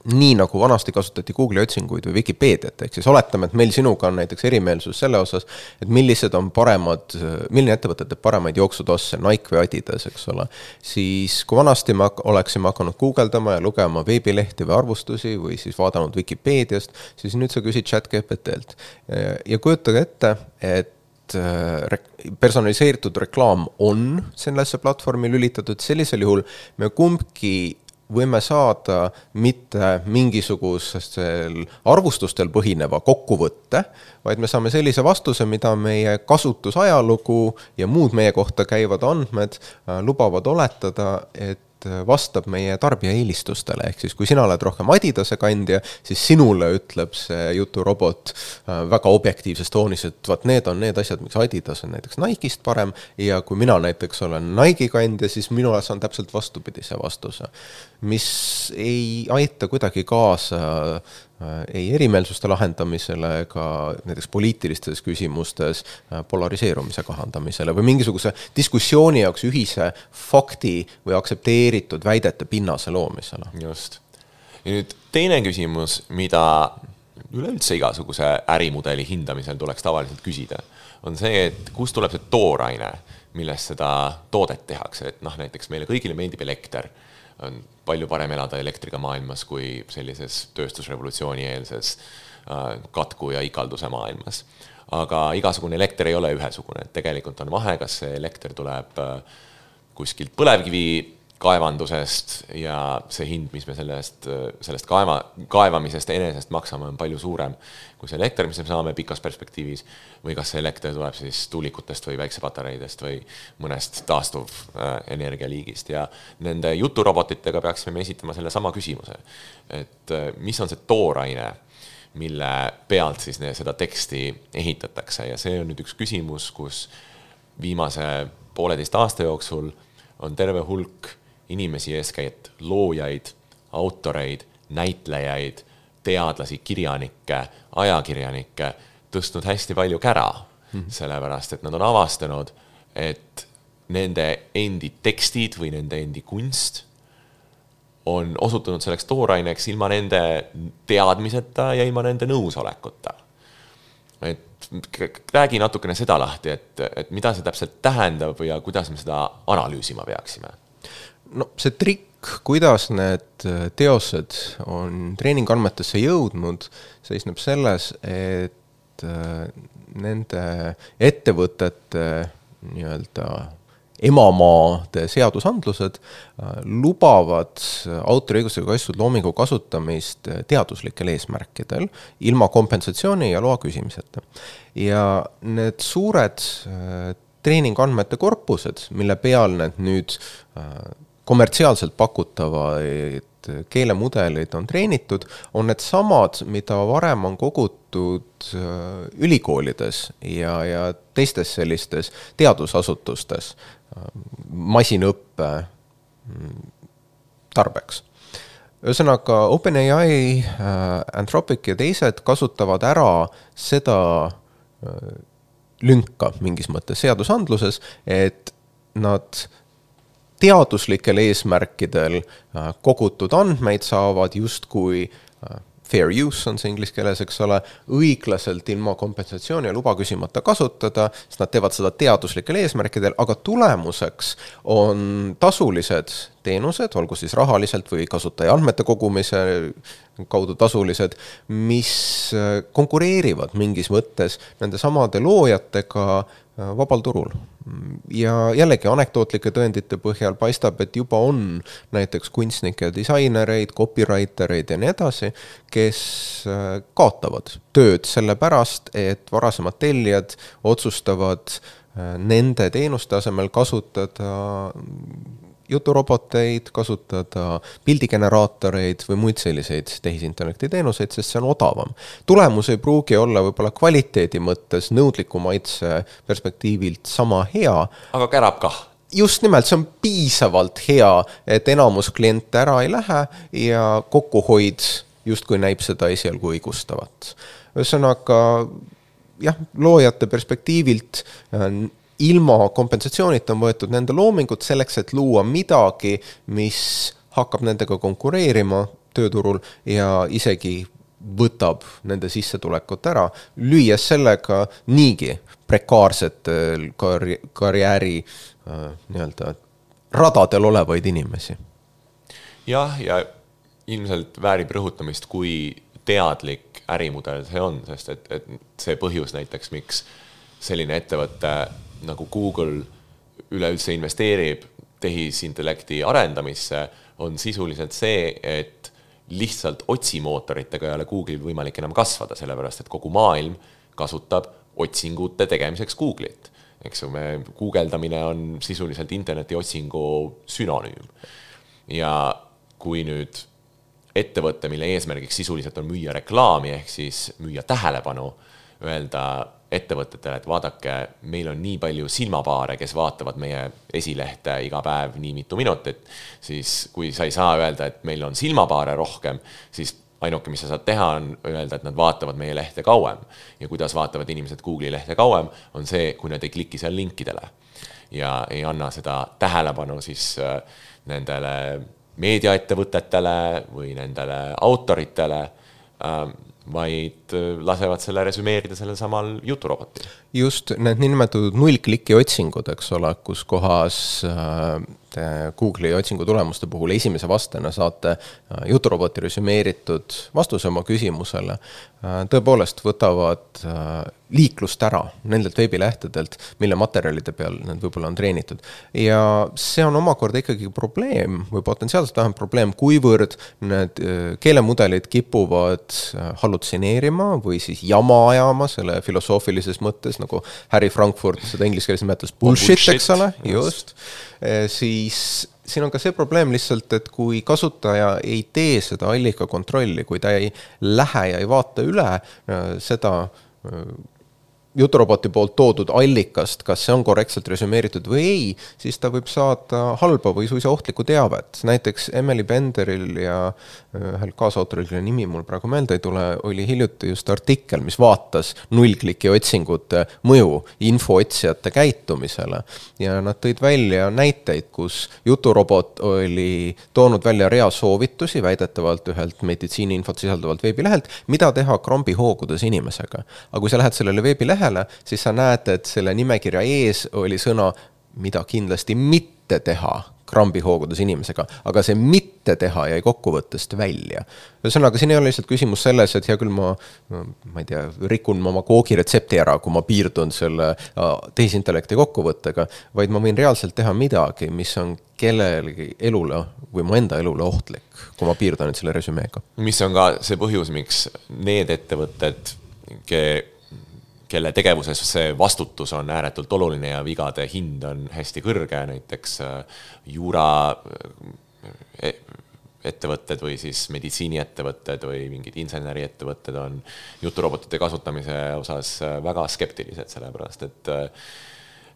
nii nagu vanasti kasutati Google'i otsinguid või Wikipeediat, ehk siis oletame, et meil sinuga on näiteks erimeelsus selle osas, et millised on paremad, milline ettevõtted teeb paremaid jooksutosse, Nike või Adidas, eks ole, siis kui vanasti me oleksime hakanud guugeldama ja lugema veebilehti või arvustusi või siis vaadanud Wikipeediast, siis nüüd sa küsid ChatGPT-lt. Ja kujutage ette, et personaliseeritud reklaam on sellesse platvormi lülitatud, sellisel juhul me kumbki võime saada mitte mingisugusel arvustustel põhineva kokkuvõtte, vaid me saame sellise vastuse, mida meie kasutusajalugu ja muud meie kohta käivad andmed lubavad oletada, et vastab meie tarbija eelistustele. Ehk siis, kui sina oled rohkem Adidase kandja, siis sinule ütleb see juturobot väga objektiivses toonis, et vaat need on need asjad, miks Adidas on näiteks Nike'ist parem, ja kui mina näiteks olen Nike kandja, siis minule saan täpselt vastupidise vastuse, mis ei aita kuidagi kaasa ei erimeelsuste lahendamisele ega näiteks poliitilistes küsimustes polariseerumise kahandamisele või mingisuguse diskussiooni jaoks ühise fakti või aktsepteeritud väidete pinnase loomisele. Just. Ja nüüd teine küsimus, mida üleüldse igasuguse ärimudeli hindamisel tuleks tavaliselt küsida, on see, et kust tuleb see tooraine, millest seda toodet tehakse. Et noh, näiteks meile kõigile meeldib elekter, on palju parem elada elektriga maailmas kui sellises tööstusrevolutsiooni eelses katku ja ikalduse maailmas. Aga igasugune elekter ei ole ühesugune. Tegelikult on vahe, kas see elekter tuleb kuskilt põlevkivi kaevandusest ja see hind, mis me sellest, sellest kaeva, kaevamisest enesest maksame, on palju suurem kui see elekter, mis me saame pikas perspektiivis, või kas see elekter tuleb siis tuulikutest või väiksepatareidest või mõnest taastuv energialiigist. Ja nende juturobotitega peaksime me esitama selle sama küsimuse, et mis on see tooraine, mille pealt siis seda teksti ehitatakse. Ja see on nüüd üks küsimus, kus viimase pooleteist aasta jooksul on terve hulk inimesi, eeskätt loojaid, autoreid, näitlejaid, teadlasi, kirjanikke, ajakirjanikke tõstnud hästi palju kära, mm-hmm. sellepärast, et nad on avastanud, et nende endi tekstid või nende endi kunst on osutunud selleks tooraineks ilma nende teadmiseta ja ilma nende nõusolekuta. Et räägi natukene seda lahti, et, et mida see täpselt tähendab ja kuidas me seda analüüsima peaksime. No see trikk, kuidas need teosed on treeningandmetesse jõudnud, seisneb selles, et nende ettevõtete nii-öelda emamaade seadusandlused lubavad autoriõigusega kaitstud loomingu kasutamist teaduslikel eesmärkidel ilma kompensatsiooni ja loa küsimiseta. Ja need suured treeningandmete korpused, mille peal need nüüd kommertsiaalselt pakutavaid keelemudelid on treenitud, on need samad, mida varem on kogutud ülikoolides ja, ja teistes sellistes teadusasutustes, masinõppe, tarbeks. Ühesõnaga, OpenAI, Anthropic ja teised kasutavad ära seda lünka mingis mõttes seadusandluses, et nad teaduslikel eesmärkidel kogutud andmeid saavad justkui fair use on see inglise keeles, eks ole, õiglaselt ilma kompensatsiooni ja luba küsimata kasutada, sest nad teevad seda teaduslikel eesmärkidel, aga tulemuseks on tasulised teenused, olgu siis rahaliselt või kasutaja andmete kogumise kaudu tasulised, mis konkureerivad mingis mõttes nende samade loojatega vabal turul. Ja jällegi anekdootlike tõendite põhjal paistab, et juba on näiteks kunstnikke, disainereid, copywritereid ja nii edasi, kes kaotavad tööd selle pärast, et varasemad tellijad otsustavad nende teenuste asemel kasutada juturoboteid, kasutada pildigeneraatoreid või muid selliseid tehisintellekti teenuseid, sest see on odavam. Tulemus ei pruugi olla võib-olla kvaliteedi mõttes nõudliku maitse perspektiivilt sama hea. Aga kärab kah. Just nimelt, see on piisavalt hea, et enamus kliente ära ei lähe ja kokkuhoid justkui näib seda esialgu õigustavat. Ühesõnaga, jah, loojate perspektiivilt ilma kompensatsioonita on võetud nende loomingut selleks, et luua midagi, mis hakkab nendega konkureerima tööturul ja isegi võtab nende sissetulekut ära, lüües sellega niigi prekaarsetel karj- karjääri äh, nii-öelda radadel olevaid inimesi. Jah, ja ilmselt väärib rõhutamist, kui teadlik ärimudel see on, sest et, et see põhjus näiteks, miks selline ettevõte nagu Google üleüldse investeerib tehisintellekti arendamisse, on sisuliselt see, et lihtsalt otsimootoritega ei ole Google'il võimalik enam kasvada, sellepärast et kogu maailm kasutab otsingute tegemiseks Google'it. Eks me guugeldamine on sisuliselt interneti otsingu sünonüüm. Ja kui nüüd ettevõtte, mille eesmärgiks sisuliselt on müüa reklaami, ehk siis müüa tähelepanu, öelda ettevõtetele, et vaadake, meil on nii palju silmapaare, kes vaatavad meie esilehte iga päev nii mitu minutit, siis kui sa ei saa öelda, et meil on silmapaare rohkem, siis ainuke, mis sa saad teha, on öelda, et nad vaatavad meie lehte kauem. Ja kuidas vaatavad inimesed Google'i lehte kauem, on see, kui nad ei kliki seal linkidele ja ei anna seda tähelepanu siis nendele meediaettevõtetele või nendele autoritele, vaid lasevad selle resümeerida sellel samal juturobotil. Just need niinimetatud nullkliki otsingud, eks ole, kus kohas Google'i otsingu tulemuste puhul esimese vastena saate juturoboti resümeeritud vastuse oma küsimusele, tõepoolest võtavad liiklust ära nendelt veebilehtedelt, mille materjalide peal need võib-olla on treenitud. Ja see on omakorda ikkagi probleem või potentsiaalselt vähem probleem, kuivõrd need keelemudelid kipuvad hallutsineerima või siis jama ajama selle filosoofilises mõttes, nagu Harry Frankfurt seda inglise keeles nimetas bullshit, bullshit, eks ole, just. Siis siin on ka see probleem lihtsalt, et kui kasutaja ei tee seda allika kontrolli, kui ta ei lähe ja ei vaata üle seda juturoboti poolt toodud allikast, kas see on korrektselt resümeeritud või ei, siis ta võib saada halba või suisa ohtlikku teavet. Näiteks Emily Benderil ja ühel kaasautoril, kelle nimi mul praegu meelde ei tule, oli hiljuti just artikkel, mis vaatas nullkliki otsingute mõju infootsijate käitumisele. Ja nad tõid välja näiteid, kus juturobot oli toonud välja rea soovitusi väidetavalt ühelt meditsiiniinfot sisalduvalt veebilehelt, mida teha krambihoogudes inimesega. Aga kui sa lähed sellele veebilehele, siis sa näed, et selle nimekirja ees oli sõna, mida kindlasti mitte teha krambihoogudes inimesega, aga see mitte teha jäi kokkuvõttest välja. Ühesõnaga, siin ei ole lihtsalt küsimus selles, et hea küll ma, ma ei tea, rikun oma koogiretsepti ära, kui ma piirdun selle tehisintellekti kokkuvõttega, vaid ma võin reaalselt teha midagi, mis on kellelegi elule või mu enda elule ohtlik, kui ma piirdan selle resümeega. Mis on ka see põhjus, miks need ettevõtted, kelle tegevuses see vastutus on ääretult oluline ja vigade hind on hästi kõrge, näiteks juura ettevõtted või siis meditsiiniettevõtted või mingid inseneriettevõtted on juturobotite kasutamise osas väga skeptilised, sellepärast et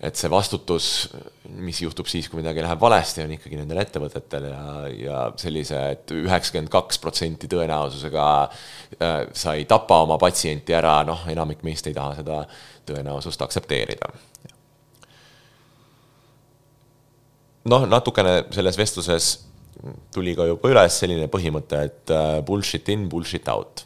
et see vastutus, mis juhtub siis, kui midagi läheb valesti, on ikkagi nendel ettevõtetel ja, ja sellise, et üheksakümmend kaks protsenti tõenäosusega äh, sa ei tapa oma patsienti ära, noh, enamik meist ei taha seda tõenäosust aksepteerida. Noh, natukene selles vestluses tuli ka juba üles selline põhimõte, et bullshit in, bullshit out.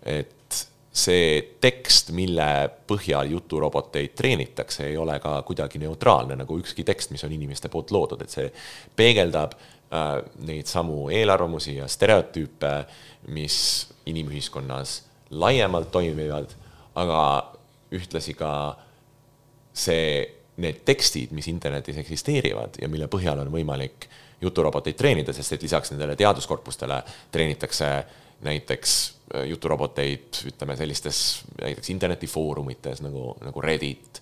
Et see tekst, mille põhjal juturoboteid treenitakse, ei ole ka kuidagi neutraalne, nagu ükski tekst, mis on inimeste poolt loodud. Et see peegeldab äh, neid samu eelarvamusi ja stereotüüpe, mis inimühiskonnas laiemalt toimivad, aga ühtlasi ka see, need tekstid, mis internetis eksisteerivad ja mille põhjal on võimalik juturoboteid treenida, sest et lisaks nendele teaduskorpustele treenitakse näiteks juturoboteid, ütleme sellistes näiteks internetifoorumites nagu, nagu Reddit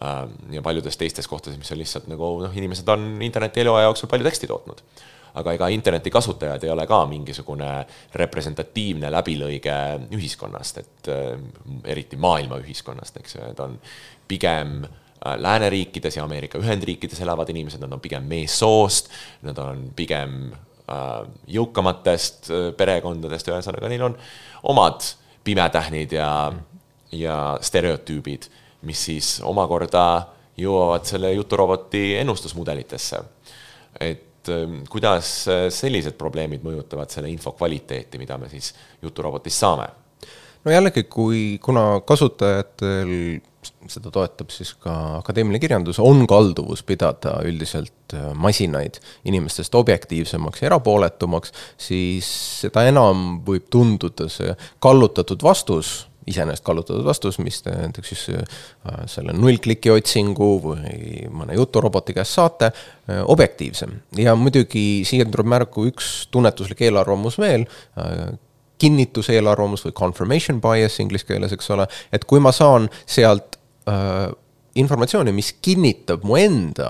äh, ja paljudes teistes kohtades, mis on lihtsalt nagu, noh, inimesed on interneti eluaja jooksul palju teksti tootnud. Aga ega interneti kasutajad ei ole ka mingisugune representatiivne läbilõige ühiskonnast, et äh, eriti maailma ühiskonnast, eks ju, et on pigem lääneriikides ja Ameerika Ühendriikides elavad inimesed, nad on pigem meessoost, nad on pigem jõukamatest perekondadest, ühesõnaga neil on omad pimetähnid ja, ja stereotüübid, mis siis omakorda jõuavad selle juturoboti ennustusmudelitesse. Et kuidas sellised probleemid mõjutavad selle info kvaliteeti, mida me siis juturobotist saame? No jällegi, kui, kuna kasutajatel seda toetab siis ka akadeemiline kirjandus, on kalduvus pidada üldiselt masinaid inimestest objektiivsemaks ja erapooletumaks, siis seda enam võib tunduda see kallutatud vastus, iseenesest kallutatud vastus, mis te näiteks siis selle nullkliki otsingu või mõne juturoboti käest saate, objektiivsem. Ja muidugi siia tuleb märku üks tunnetuslik eelarvamus veel, kinnitus eelarvamus või confirmation bias inglis keeles, eks ole, et kui ma saan sealt äh, informatsiooni, mis kinnitab mu enda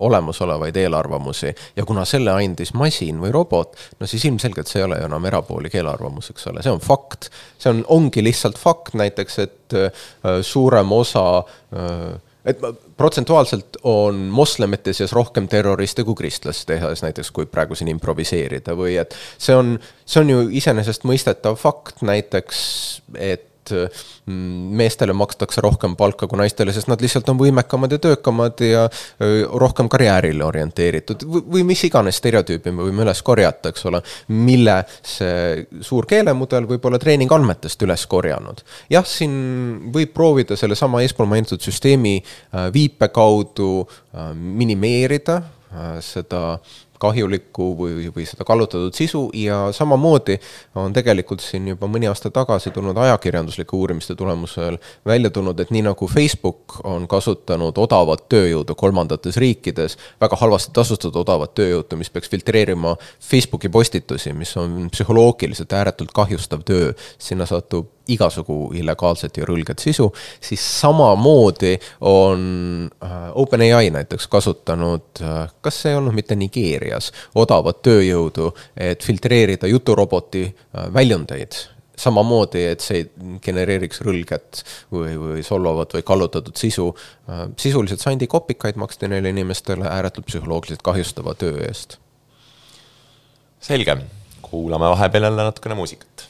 olemasolevaid eelarvamusi ja kuna selle andis masin või robot, no siis ilmselgelt see ei ole enam erapoolik eelarvamus, eks ole, see on fakt. See on, ongi lihtsalt fakt näiteks, et äh, suurem osa äh, et protsentuaalselt on moslemite seas rohkem terroriste kui kristlaste seas, näiteks kui praegu siin improviseerida või et see on, see on ju iseenesest mõistetav fakt näiteks, et meestele makstakse rohkem palka kui naistele, sest nad lihtsalt on võimekamad ja töökamad ja rohkem karjäärile orienteeritud või mis iganes stereotüüpi me võime üles korjata, eks ole, mille see suur keelemudel võib olla treeningandmetest üles korjanud. Jah, siin võib proovida selle sama eespool mainitud süsteemi viipe kaudu minimeerida seda kahjulikku või, või seda kallutatud sisu ja samamoodi on tegelikult siin juba mõni aasta tagasi tulnud ajakirjanduslike uurimiste tulemusel välja tulnud, et nii nagu Facebook on kasutanud odavat tööjõudu kolmandates riikides, väga halvasti tasustatud odavat tööjõudu, mis peaks filtreerima Facebooki postitusi, mis on psühholoogiliselt ääretult kahjustav töö, sinna satub igasugu illegaalset ja rõlget sisu, siis samamoodi on OpenAI näiteks kasutanud, kas see ei olnud mitte Nigeerias, odavat tööjõudu, et filtreerida juturoboti väljundeid. Samamoodi, et see genereeriks rõlget või, või solvavat või kallutatud sisu. Sisuliselt sandi kopikaid maksti neile inimestele ääretult psühholoogiliselt kahjustava töö eest. Selge, kuulame vahepeal jälle natukene muusikat.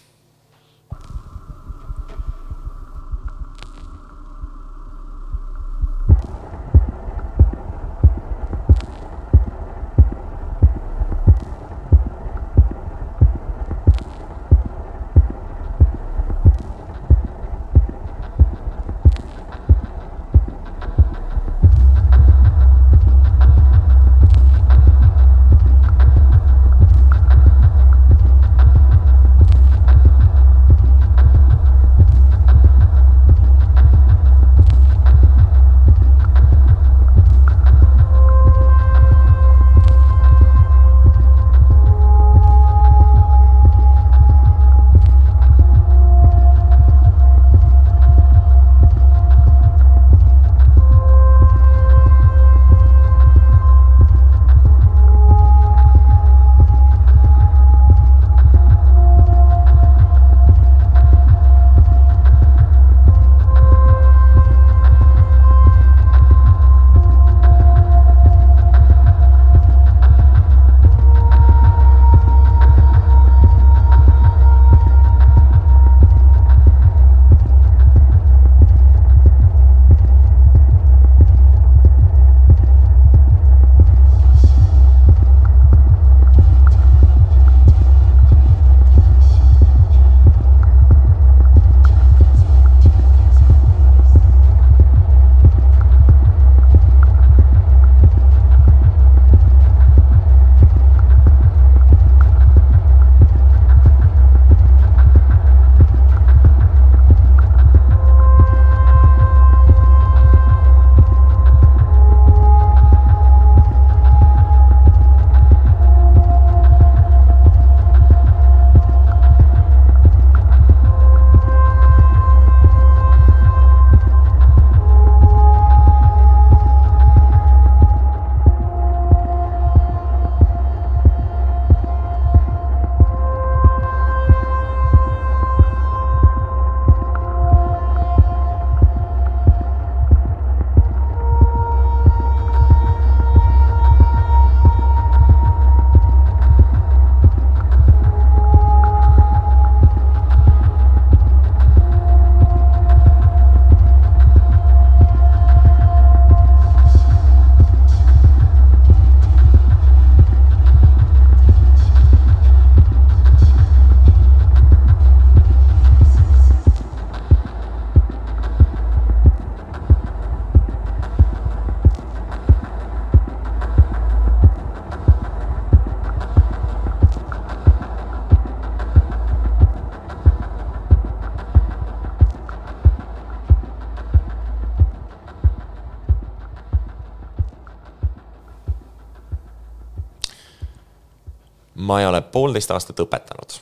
ma ei ole poolteist aastat õpetanud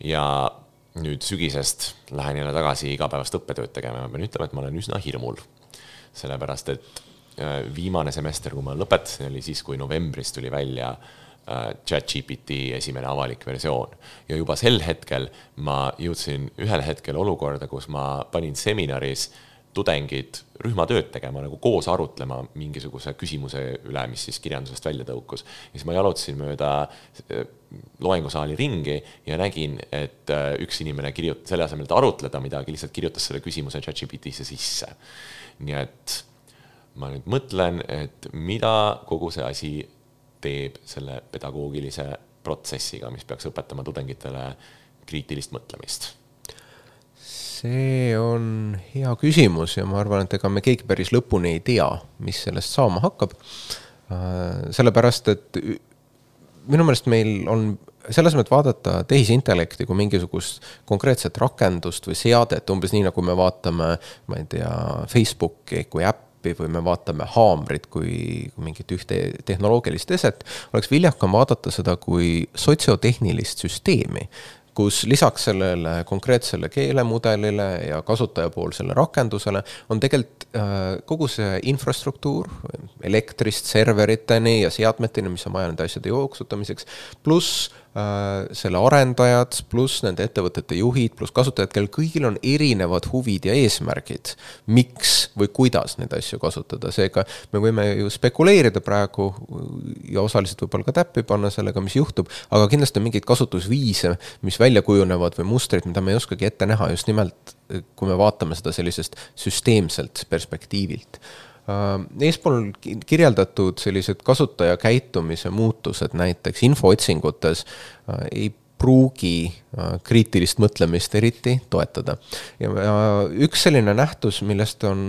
ja nüüd sügisest lähen jälle tagasi igapäevast õppetööd tegema. Ma pean ütlema, et ma olen üsna hirmul, sellepärast et viimane semester, kui ma lõpetasin, oli siis, kui novembris tuli välja ChatGPT esimene avalik versioon. Ja juba sel hetkel ma jõudsin ühel hetkel olukorda, kus ma panin seminaris tudengid rühmatööd tegema, nagu koos arutlema mingisuguse küsimuse üle, mis siis kirjandusest välja tõukus. Ja siis ma jalutasin mööda loengusaali ringi ja nägin, et üks inimene kirjutas selle asemel, et arutleda midagi, lihtsalt kirjutas selle küsimuse ChatGPT-sse sisse. Nii et ma nüüd mõtlen, et mida kogu see asi teeb selle pedagoogilise protsessiga, mis peaks õpetama tudengitele kriitilist mõtlemist? See on hea küsimus ja ma arvan, et ega me keegi päris lõpuni ei tea, mis sellest saama hakkab. Sellepärast, et minu meelest meil on selles mõttes vaadata tehisintellekti kui mingisugust konkreetset rakendust või seadet, umbes nii, nagu me vaatame, ma ei tea, Facebooki kui äpp, või me vaatame haamrit kui mingit ühte tehnoloogilist eset, oleks viljakam vaadata seda kui sotsiotehnilist süsteemi, kus lisaks sellele konkreetsele keelemudelile ja kasutajapoolsele rakendusele on tegelikult kogu see infrastruktuur elektrist serveriteni ja seadmeteni, mis on vaja nende asjade jooksutamiseks, pluss selle arendajad, pluss nende ettevõtete juhid, pluss kasutajad, kel kõigil on erinevad huvid ja eesmärgid, miks või kuidas neid asju kasutada. Seega me võime ju spekuleerida praegu ja osaliselt võib-olla ka täppi panna sellega, mis juhtub, aga kindlasti on mingeid kasutusviise, mis välja kujunevad või mustrid, mida me ei oskagi ette näha just nimelt, kui me vaatame seda sellisest süsteemselt perspektiivilt. Eespool kirjeldatud sellised kasutaja käitumise muutused näiteks infootsingutes ei pruugi kriitilist mõtlemist eriti toetada. Ja üks selline nähtus, millest on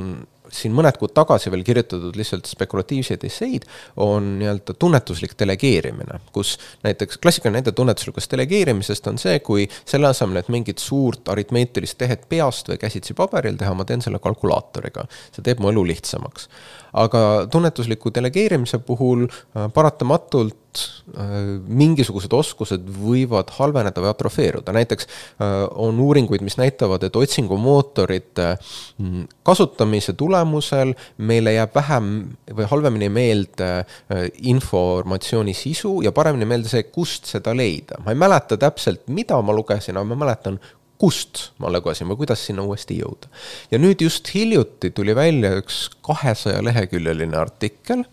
siin mõned kuud tagasi veel kirjutatud lihtsalt spekulatiivseid esseid, on nii-öelda tunnetuslik delegeerimine, kus näiteks klassikaline näide tunnetuslikust delegeerimisest on see, kui selle asemel, et mingit suurt aritmeetilist tehet peast või käsitsi paberil teha, ma teen selle kalkulaatoriga. See teeb mu elu lihtsamaks. Aga tunnetusliku delegeerimise puhul paratamatult mingisugused oskused võivad halveneda või atrofeeruda. Näiteks on uuringuid, mis näitavad, et otsingumootorite kasutamise tulemusel meile jääb vähem või halvemini meelde informatsiooni sisu ja paremini meelde see, kust seda leida. Ma ei mäleta täpselt, mida ma lugesin, aga ma mäletan, kust ma lugesin või kuidas sinna uuesti jõuda. Ja nüüd just hiljuti tuli välja üks kahesaja leheküljeline artikkel,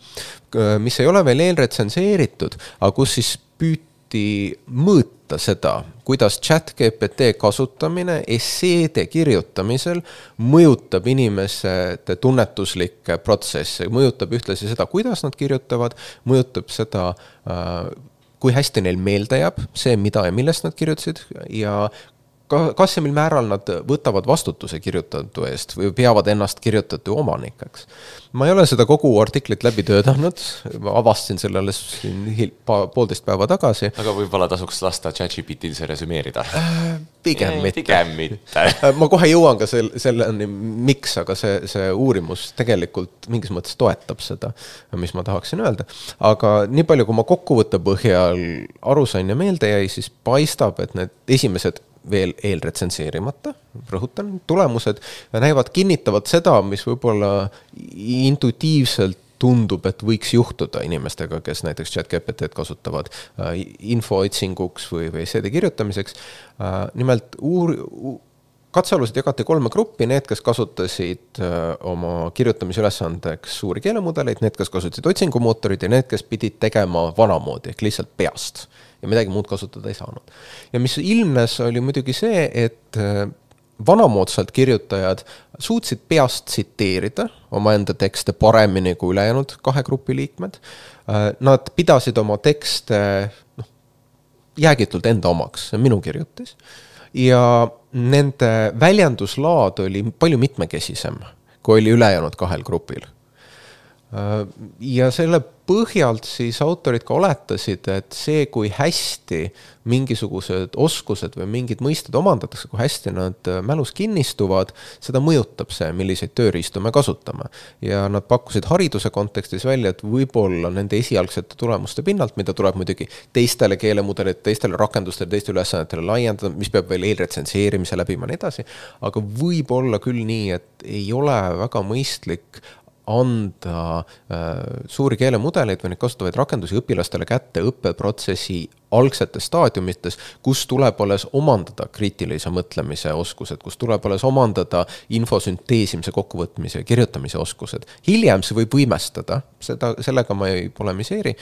mis ei ole veel eelretsenseeritud, aga kus siis püüti mõõta seda, kuidas ChatGPT kasutamine esseede kirjutamisel mõjutab inimeste tunnetuslikke protsesse, mõjutab ühtlasi seda, kuidas nad kirjutavad, mõjutab seda, kui hästi neil meelde jääb, see, mida ja millest nad kirjutasid ja kas ja mil määral nad võtavad vastutuse kirjutatu eest või peavad ennast kirjutatu omanikeks. Ma ei ole seda kogu artiklit läbi töötanud, ma avastasin selle alles poolteist päeva tagasi. Aga võib-olla tasuks lasta ChatGPT-l see resümeerida? Äh, pigem mitte. Pigem mitte. Ma kohe jõuan ka selle, selleni, miks, aga see, see uurimus tegelikult mingis mõttes toetab seda, mis ma tahaksin öelda. Aga nii palju, kui ma kokkuvõtte põhjal aru sain ja meelde jäi, siis paistab, et need esimesed veel eelretsenseerimata, rõhutan, tulemused näivad kinnitavad seda, mis võib-olla intuitiivselt tundub, et võiks juhtuda inimestega, kes näiteks ChatGPT-d kasutavad infoootsinguks või, või esseede kirjutamiseks. Nimelt uur, katsealused jagati kolme gruppi, need, kes kasutasid oma kirjutamisülesandeks suuri keelemudeleid, need, kes kasutasid otsingumootorid ja need, kes pidid tegema vanamoodi, ehk lihtsalt peast. Ja midagi muud kasutada ei saanud. Ja mis ilmnes oli muidugi see, et vanamoodsalt kirjutajad suutsid peast tsiteerida oma enda tekste paremini kui ülejäänud kahe grupi liikmed. Nad pidasid oma tekste noh, jäägitult enda omaks, see on minu kirjutis. Ja nende väljenduslaad oli palju mitmekesisem, kui oli ülejäänud kahel grupil. Ja selle põhjalt siis autorid ka oletasid, et see, kui hästi mingisugused oskused või mingid mõisted omandatakse, kui hästi nad mälus kinnistuvad, seda mõjutab see, milliseid tööriistu me kasutame. Ja nad pakkusid hariduse kontekstis välja, et võib-olla nende esialgsete tulemuste pinnalt, mida tuleb muidugi teistele keelemudelid, teistele rakendustele, teistele ülesannetele laiendada, mis peab veel eelretsenseerimise läbima ja nii edasi, aga võib olla küll nii, et ei ole väga mõistlik anda äh, suuri keelemudeleid või neid kasutavaid rakendusi õpilastele kätte õppeprotsessi algsetes staadiumites, kus tuleb alles omandada kriitilise mõtlemise oskused, kus tuleb alles omandada infosünteesimise, kokkuvõtmise ja kirjutamise oskused. Hiljem see võib võimestada, seda, sellega ma ei polemiseeri,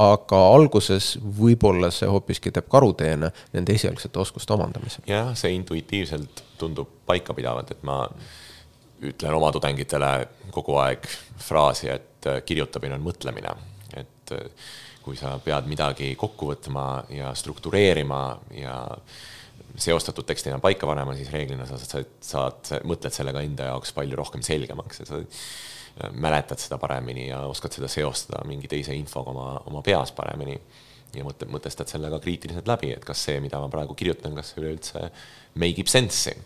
aga alguses võib-olla see hoopiski teeb karuteene nende esialgsete oskuste omandamise. Jah, see intuitiivselt tundub paika pidavat, et ma ütlen oma tudengitele kogu aeg fraasi, et kirjutamine on mõtlemine. Et kui sa pead midagi kokku võtma ja struktureerima ja seostatud tekstina paika panema, siis reeglina sa saad, saad, mõtled sellega enda jaoks palju rohkem selgemaks ja sa mäletad seda paremini ja oskad seda seostada mingi teise infoga oma, oma peas paremini ja mõtled, mõtestad sellega kriitiliselt läbi, et kas see, mida ma praegu kirjutan, kas see üleüldse make ib sense'i.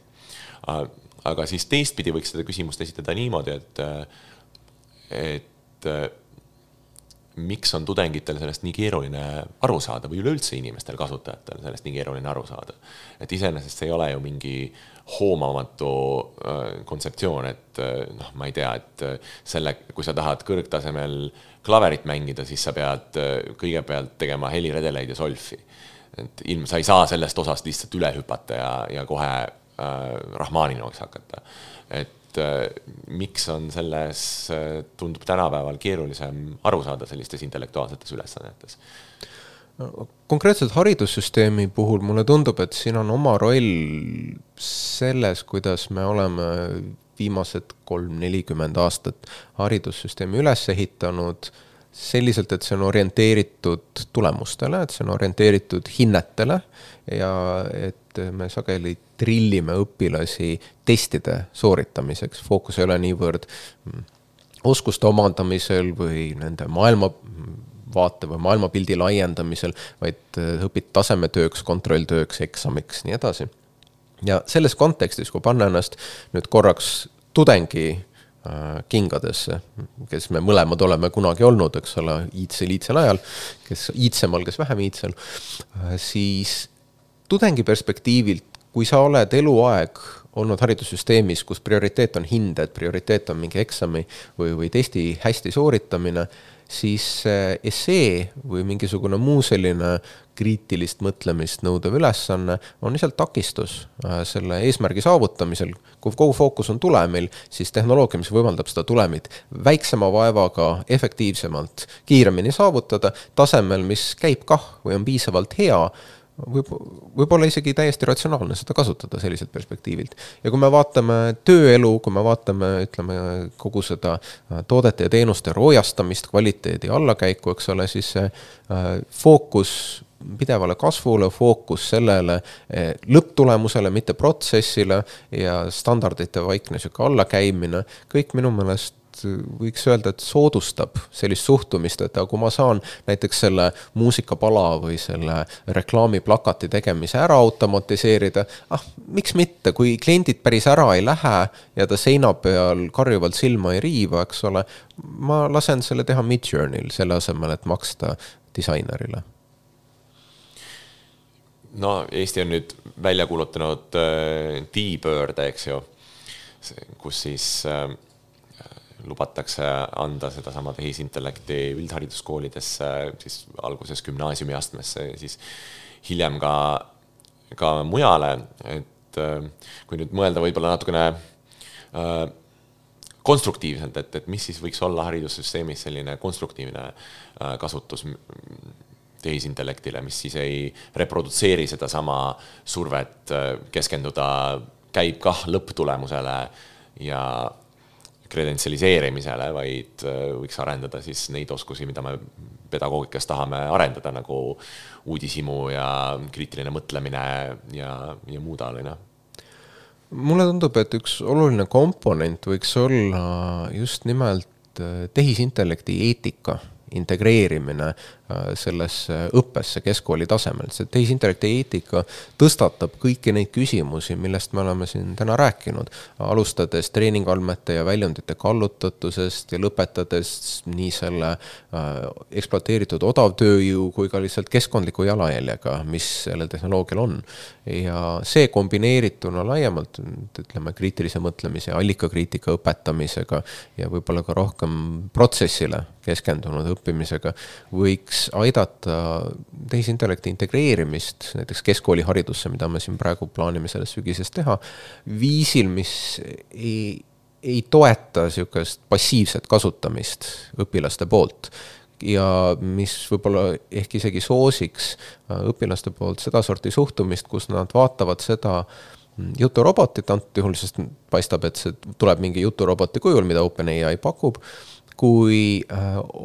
Aga siis teistpidi võiks seda küsimust esitada niimoodi, et, et miks on tudengitel sellest nii keeruline aru saada või üleüldse inimestel kasutajatel sellest nii keeruline aru saada. Et iseenesest ei ole ju mingi hoomamatu kontseptsioon, et noh, ma ei tea, et selle, kui sa tahad kõrgtasemel klaverit mängida, siis sa pead kõigepealt tegema heliredeleid ja solfi. Et ilm, sa ei saa sellest osast lihtsalt üle hüpata ja, ja kohe Rahmaninovaks hakata. Et äh, miks on selles, äh, tundub tänapäeval keerulisem aru saada sellistes intellektuaalsetes ülesannetes? Konkreetselt haridussüsteemi puhul mulle tundub, et siin on oma roll selles, kuidas me oleme viimased kolm nelikümmend aastat haridussüsteemi üles ehitanud selliselt, et see on orienteeritud tulemustele, et see on orienteeritud hinnetele ja et me sageli trillime õpilasi testide sooritamiseks. Fookus ei ole niivõrd oskuste omandamisel või nende maailmavaate või maailmapildi laiendamisel, vaid õpid tasemetööks, kontrolltööks, eksamiks, nii edasi. Ja selles kontekstis, kui panna ennast nüüd korraks tudengi kingadesse, kes me mõlemad oleme kunagi olnud, eks ole, iidsel, iidsel ajal, kes iidsemal, kes vähem iidsel, siis tudengi perspektiivilt, kui sa oled eluaeg olnud haridussüsteemis, kus prioriteet on hinded, prioriteet on mingi eksami või, või testi hästi sooritamine, siis essee või mingisugune muu selline kriitilist mõtlemist nõudev ülesanne on lihtsalt takistus selle eesmärgi saavutamisel. Kui kogu fookus on tulemil, siis tehnoloogia, mis võimaldab seda tulemit väiksema vaevaga efektiivsemalt kiiremini saavutada, tasemel, mis käib kah või on piisavalt hea, võib, võib-olla isegi täiesti ratsionaalne seda kasutada selliselt perspektiivilt. Ja kui me vaatame tööelu, kui me vaatame, ütleme, kogu seda toodete ja teenuste roojastamist, kvaliteedi allakäiku, eks ole, siis see fookus pidevale kasvule, fookus sellele lõpptulemusele, mitte protsessile ja standardite vaikne süke allakäimine, kõik minu meelest võiks öelda, et soodustab sellist suhtumist, et kui ma saan näiteks selle muusikapala või selle reklaamiplakati tegemise ära automatiseerida, ah, miks mitte, kui kliendid päris ära ei lähe ja ta seina peal karjuvalt silma ei riiva, eks ole, ma lasen selle teha Midjourney'l selle asemel, et maksta disainerile. No Eesti on nüüd välja kuulutanud D-Bird, eks ju, kus siis lubatakse anda seda sama tehisintellekti üldhariduskoolidesse, siis alguses gümnaasiumi astmesse, siis hiljem ka, ka mujale, et kui nüüd mõelda võib-olla natukene äh, konstruktiivselt, et, et mis siis võiks olla haridussüsteemis selline konstruktiivne äh, kasutus tehisintellektile, mis siis ei reprodutseeri seda sama survet keskenduda, käib kah lõpptulemusele ja kredentsialiseerimisele, vaid võiks arendada siis neid oskusi, mida me pedagoogikas tahame arendada, nagu uudishimu ja kriitiline mõtlemine ja, ja muu taoline. Mulle tundub, et üks oluline komponent võiks olla just nimelt et tehisintellekti eetika integreerimine sellesse õppesse keskkooli tasemel. See tehisintellekti eetika tõstatab kõiki neid küsimusi, millest me oleme siin täna rääkinud, alustades treeningandmete ja väljundite kallutatusest ja lõpetades nii selle ekspluateeritud odavtööjõu kui ka lihtsalt keskkondliku jalajäljega, mis sellel tehnoloogial on. Ja see kombineerituna laiemalt, ütleme, kriitilise mõtlemise, allikakriitika õpetamisega ja võib-olla ka rohkem protsessile keskendunud õppimisega võiks aidata tehisintellekti integreerimist näiteks keskkooliharidusse, mida me siin praegu plaanime selles sügises teha, viisil, mis ei, ei toeta niisugust passiivset kasutamist õpilaste poolt ja mis võib-olla ehk isegi soosiks õpilaste poolt seda sorti suhtumist, kus nad vaatavad seda juturobotit antud juhul, sest paistab, et see tuleb mingi juturoboti kujul, mida OpenAI pakub, kui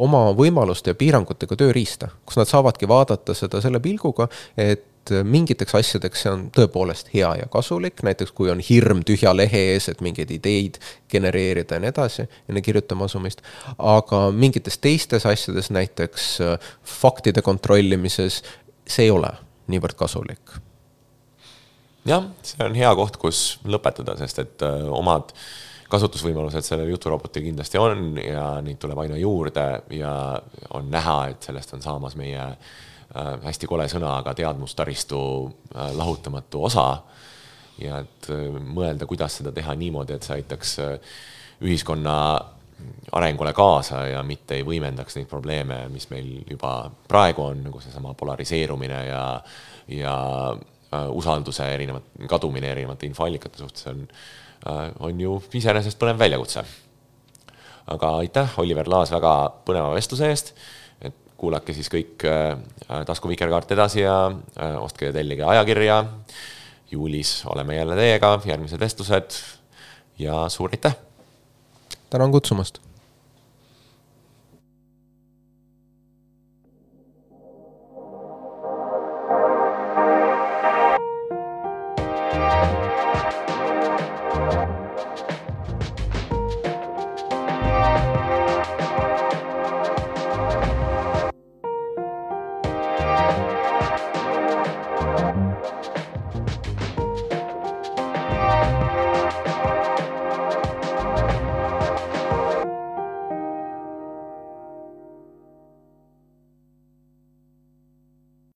oma võimaluste ja piirangutega tööriista, kus nad saavadki vaadata seda selle pilguga, et mingiteks asjadeks see on tõepoolest hea ja kasulik, näiteks kui on hirm tühja lehe ees, et mingeid ideid genereerida ja nii edasi, enne kirjutama asumist, aga mingites teistes asjades, näiteks faktide kontrollimises, see ei ole niivõrd kasulik. Jah, see on hea koht, kus lõpetada, sest et omad kasutusvõimalused selle juturoboti kindlasti on ja neid tuleb aina juurde ja on näha, et sellest on saamas meie hästi kole sõna, aga teadmustaristu lahutamatu osa ja et mõelda, kuidas seda teha niimoodi, et see aitaks ühiskonna arengule kaasa ja mitte ei võimendaks neid probleeme, mis meil juba praegu on, nagu seesama polariseerumine ja, ja usalduse erinevat, kadumine erinevate infoallikate suhtes on on ju iseenesest põnev väljakutse. Aga aitäh, Oliver Laas, väga põneva vestluse eest, et kuulake siis kõik Tasku Vikerkaart edasi ja ostke ja tellige ajakirja. Juulis oleme jälle teiega, järgmised vestlused ja suur aitäh! Tänan kutsumast!